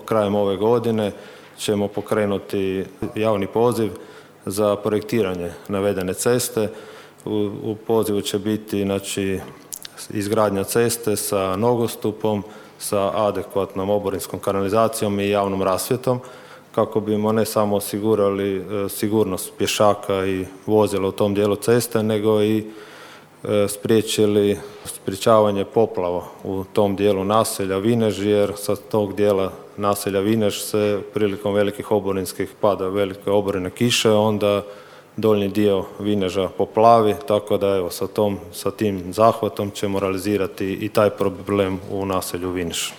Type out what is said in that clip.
krajem ove godine ćemo pokrenuti javni poziv za projektiranje navedene ceste. U pozivu će biti izgradnja ceste sa nogostupom, sa adekvatnom oborinskom kanalizacijom i javnom rasvjetom kako bimo ne samo osigurali sigurnost pješaka i vozila u tom dijelu ceste, nego i sprječavanje poplava u tom dijelu naselja Vinež, jer sa tog dijela naselja Vinež se prilikom velikih oborinskih pada velike oborine kiše, onda donji dio Vineža poplavi, tako da evo sa tim zahvatom ćemo realizirati i taj problem u naselju Vinež.